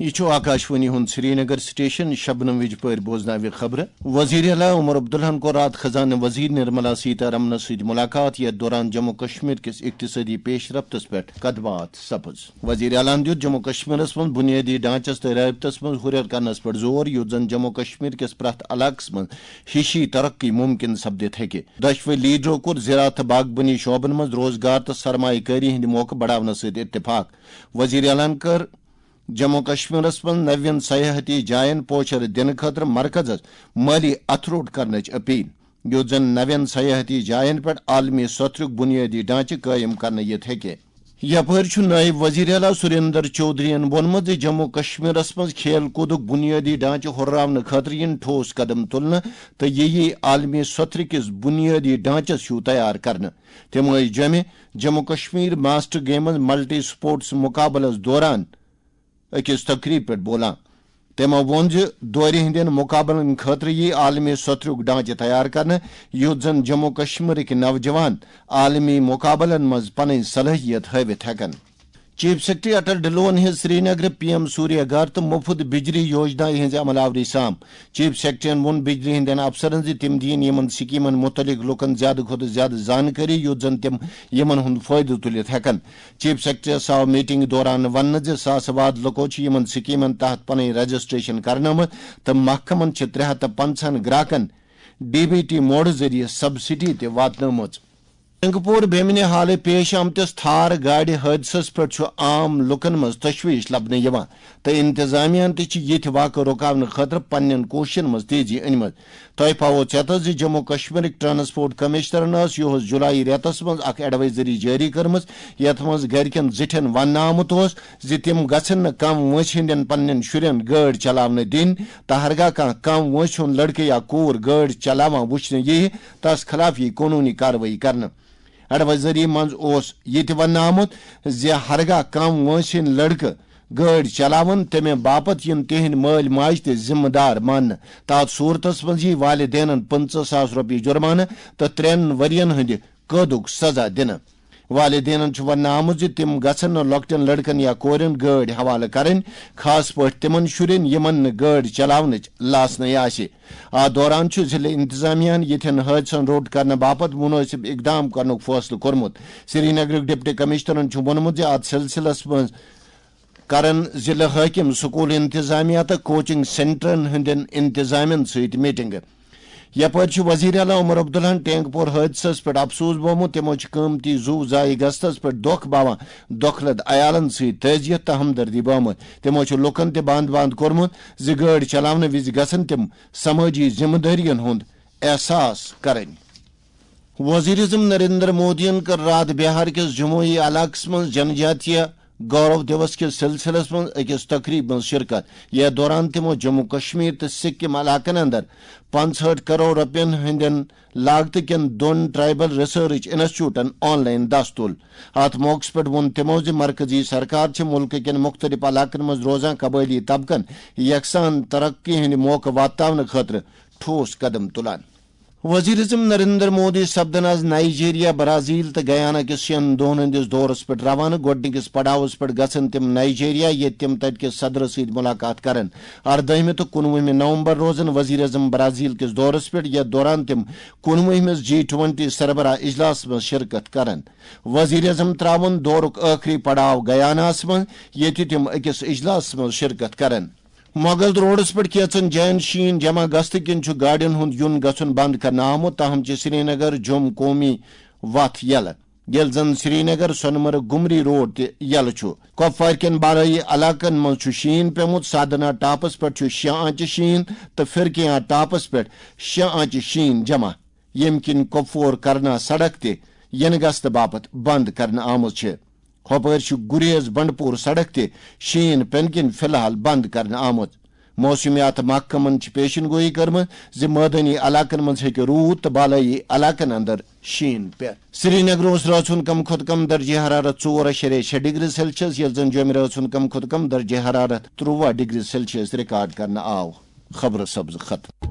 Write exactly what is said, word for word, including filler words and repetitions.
یہِ چھُ آکاشوانی ہُنٛد سرینگر سٹیشن۔ شبنم وِجہِ پٲرۍ بوزناوِ خبرٕ۔ وزیر اعلیٰ عمر عبداللہن کوٚر راتھ خزانہٕ وزیر نرملا سیتارمنس سۭتۍ ملاقات، یتھ دوران جموں کشمیر کِس اقتصٲدی پیش رفتس پٮ۪ٹھ کتھ باتھ سپٕز۔ وزیر اعلیٰ ہن دیُت جموں کشمیرس منٛز بنیٲدی ڈھانچس تہٕ رٲبطس منٛز ہُرٮ۪ر کرنس پٮ۪ٹھ زور، یُتھ زن جموں کشمیر کِس پرٛٮ۪تھ علاقس منٛز ہِشی ترقی ممکن سپدِتھ ہیٚکہِ۔ دۄشوے لیڈرو کوٚر زراعت تہٕ باغبٲنی شعبن منٛز روزگار تہٕ سرمایہ کٲری ہٕنٛدِ موقعہٕ بڑاونس سۭتۍ اتفاق۔ وزیر اعلیٰ ہن کٔر جموں کشمیرس منٛز نوین سیاحتی جاین پوچھر دِنہٕ خٲطرٕ مرکزس مٲلی اتھٕ روٚٹ کرنٕچ اپیل، یُتھ زن نوین سیاحتی جاین پٮ۪ٹھ عالمی سطرُک بنیٲدی ڈھانچہٕ قٲیِم کرنہٕ یِتھ ہیٚکہِ۔ یپٲرۍ چھُ نٲیِب وزیر اعلیٰ سریندر چودھرین ووٚنمُت زِ جموں کشمیرس منٛز کھیل کوٗدُک بنیٲدی ڈھانچہٕ ہُرراونہٕ خٲطرٕ یِن ٹھوس قدم تُلنہٕ تہٕ یہِ یِیہِ عالمی سطرٕ کِس بنیٲدی ڈھانچس ہیُو تیار کرنہٕ۔ تِم ٲسۍ جوٚمہِ Jammu Kashmir master games multi sports مقابلس دوران أکِس تقریب پٮ۪ٹھ بولان۔ تٔمۍ ووٚن زِ دورِ ہٕنٛدٮ۪ن مقابلن خٲطرٕ یِیہِ عالمی سطرُک ڈھانچہٕ تیار کرنہٕ، یُتھ زن جموں کشمیرٕکۍ نوجوان عالمی مقابلن منٛز پنٕنۍ صلٲحیت ہٲوِتھ ہٮ۪کن۔ چیف سیکرٹری اٹل ڈھلون ہیٚژ سرینگرٕ پی ایم سوریہ گھر تہٕ مفت بجلی یوجنا ہٕنٛزِ عمل آوری سام۔ چیف سیکرٹریَن ووٚن بجلی ہٕنٛدٮ۪ن افسرن زِ تِم دِیِن یِمن سکیمن مُتعلق لوٗکن زیادٕ کھۄتہٕ زیادٕ زانکٲری، یُتھ زن تِم یِمن ہُنٛد فٲیدٕ تُلِتھ ہٮ۪کن۔ چیف سیکرٹریَس آو میٹنگ دوران وننہٕ زِ ساسہٕ واد لوٗکو چھِ یِمن سکیمن تحت پنٕنۍ رجسٹریشن کرنٲومٕژ تہٕ محکمن چھِ ترٛےٚ ہتھ تہٕ پنٛژاہن گراکن ڈی بی ٹی موڈٕ ذٔریعہٕ سبسڈی تہِ واتنٲومٕژ۔ رنگپور بیمنہِ حالہٕ پیش آمتِس تھار گاڑِ حٲدثس پٮ۪ٹھ چھُ عام لوٗکن منٛز تشویش لبنہٕ یِوان تہٕ انتظامیہن تہِ چھِ یِتھۍ واقعہٕ رُکاونہٕ خٲطرٕ پننٮ۪ن کوٗششن منٛز تیزی أنمٕژ۔ تۄہہِ پاوو ژٮ۪تس زِ جموں کشمیرٕکۍ ٹرانسپورٹ کمشنرن ٲس یِہُس جولائی رٮ۪تس منٛز اکھ ایڈوائزری جٲری کٔرمٕژ، یتھ منٛز گرِکٮ۪ن زِٹھٮ۪ن وننہٕ آمُت اوس زِ تِم گژھن نہٕ کم وٲنٛسہِ ہٕنٛدٮ۪ن پننٮ۪ن شُرٮ۪ن گٲڑۍ چلاونہٕ دِنۍ تہٕ ہرگاہ کانٛہہ کم وٲنٛسہِ ہُنٛد لڑکہٕ یا کوٗر گٲڑۍ چلاوان وُچھنہٕ یِیہِ، تس خلاف یِیہِ قونوٗنی کاروٲیی کرنہٕ۔ ایڈوائزری منٛز اوس یہِ تہِ وننہٕ آمُت زِ ہرگاہ کم وٲنٛسہِ ہٕنٛدۍ لڑکہٕ گٲڑۍ چلاون، تمہِ باپتھ یِن تِہنٛدۍ مٲلۍ ماجہِ تہِ ذمہٕ دار ماننہٕ۔ تتھ صورتس منٛز یِیہِ والدینن پٕنٛژٕہ ساس رۄپیہِ جُرمانہٕ تہٕ ترٛٮ۪ن ؤرین ہٕنٛدِ قٲدُک سزا دِنہٕ۔ والدینن چھُ وننہٕ آمُت زِ تِم گژھن نہٕ لۄکٹٮ۪ن لڑکن یا کورٮ۪ن گٲڑۍ حوالہٕ کرٕنۍ، خاص پٲٹھۍ تِمن شُرٮ۪ن یِمن نہٕ گٲڑۍ چلاونٕچ لاسنٕے آسہِ۔ اتھ دوران چھُ ضلع انتظامیہ ہن یِتھٮ۪ن حٲدثن روٚٹ کرنہٕ باپتھ مُنٲسِب اقدام کرنُک فٲصلہٕ کوٚرمُت۔ سرینگرٕکۍ ڈپٹی کمشنرن چھُ ووٚنمُت زِ اتھ سلسلس منٛز کرن ضلع حٲکم، سکول انتظامیہ تہٕ کوچنگ سینٹرن ہٕنٛدٮ۪ن انتظامن سۭتۍ میٹنگ۔ یپٲرۍ چھُ وزیر اعلیٰ عمر عبداللہن ٹینک پور حٲدثس پٮ۪ٹھ افسوس بومُت۔ تِمو چھِ قۭمتی زُو ضایع گژھنس پٮ۪ٹھ دۄکھ باوان دۄکھلت عیالن سۭتۍ تعزیت تہٕ ہمدردی بٲومٕژ۔ تِمو چھُ لوٗکن تہِ بند بند کوٚرمُت زِ گٲڑۍ چلاونہٕ وِزِ گژھن تِم سمٲجی ذمہٕ دٲرین ہُنٛد احساس کرٕنۍ۔ وزیر اعظم نریندر مودیَن کٔر راتھ بہار کِس جموئی علاقس منٛز جنجاتیہ گورو دیوس کِس سلسلس منٛز أکِس تقریبہِ منٛز شرکت، یتھ دوران تِمو جموں کشمیر تہٕ سکم علاقن اندر پانٛژہٲٹھ کرور رۄپین ہٕنٛدٮ۪ن لاگتہٕ کٮ۪ن دۄن ٹرائبل ریسرچ انسٹیٹیوٹن آن لائن دس تُل۔ اتھ موقعس پٮ۪ٹھ ووٚن تِمو زِ مرکزی سرکار چھِ مُلکہٕ کٮ۪ن مُختٔلِف علاقن منٛز روزان قبٲئلی طبقن یکسان ترقی ہٕنٛدۍ موقعہٕ واتناونہٕ خٲطرٕ ٹھوس قدم تُلان۔ وزیر اعظم نریندر مودی سپدن آز نائیجیریا، برازیل تہٕ گیانا کِس شٮ۪ن دۄہن ہٕنٛدِس دورس پٮ۪ٹھ روانہٕ۔ گۄڈٕنِکِس پڑاوس پٮ۪ٹھ گژھن تِم نائیجیریا، ییٚتہِ تِم تتہِ کِس صدرس سۭتۍ ملاقات کرن۔ اردٲہمہِ تہٕ کُنوُہمہِ نومبر روزن وزیر اعظم برازیل کِس دورس پٮ۪ٹھ، یتھ دوران تِم کُنوُہمِس جی ٹوئنٹی سربراہ اجلاسس منٛز شرکت کرن۔ وزیر اعظم تراون دورُک ٲخری پڑاو گیاناہس منٛز، ییٚتہِ تِم أکِس اجلاسس منٛز شرکت کرن۔ مغل روڈس پٮ۪ٹھ کینٛژن جاین شیٖن جمع گژھنہٕ کِنۍ چھُ گاڑٮ۪ن ہُنٛد یُن گژھُن بنٛد کرنہٕ آمُت، تاہم چھِ سرینگر جوٚم قومی وتھ یلہٕ، ییٚلہِ زن سرینگر سۄنہٕ مرگ گُمری روڈ تہِ یلہٕ چھُ۔ کۄپوارِ کٮ۪ن بالٲیی علاقن منٛز چھُ شیٖن پیوٚمُت۔ سادنا ٹاپس پٮ۪ٹھ چھُ شےٚ آنچہِ شیٖن تہٕ فرقیاں ٹاپس پٮ۪ٹھ شےٚ آنچہِ شیٖن جمع، ییٚمہِ کِنۍ کۄپوور کرنا سڑک تہِ یِنہٕ گژھنہٕ باپتھ بنٛد کرنہٕ آمٕژ چھِ۔ ہۄپٲرۍ چھُ گُریز بنڈپور سڑک تہِ شیٖن پٮ۪نہٕ کِنۍ فی الحال بنٛد کرنہٕ آمُت۔ موسمیات محکمن چھِ پیشن گویی کٔرمٕژ زِ مٲدٲنی علاقن منٛز ہیٚکہِ روٗد تہٕ بالٲیی علاقن اندر شیٖن پٮ۪تھ۔ سرینگر اوس رٲژ ہُنٛد کم کھۄتہٕ کم درجہ حرارت ژور اَشاریہ شےٚ ڈگری سیلسیس، ییٚلہِ زن جوٚمہِ رٲژ ہُنٛد کم کھۄتہٕ کم درجہ حرارت ترٛوواہ ڈگری سیلسیس ریکارڈ کرنہٕ آو۔ خبرٕ سبز ختم۔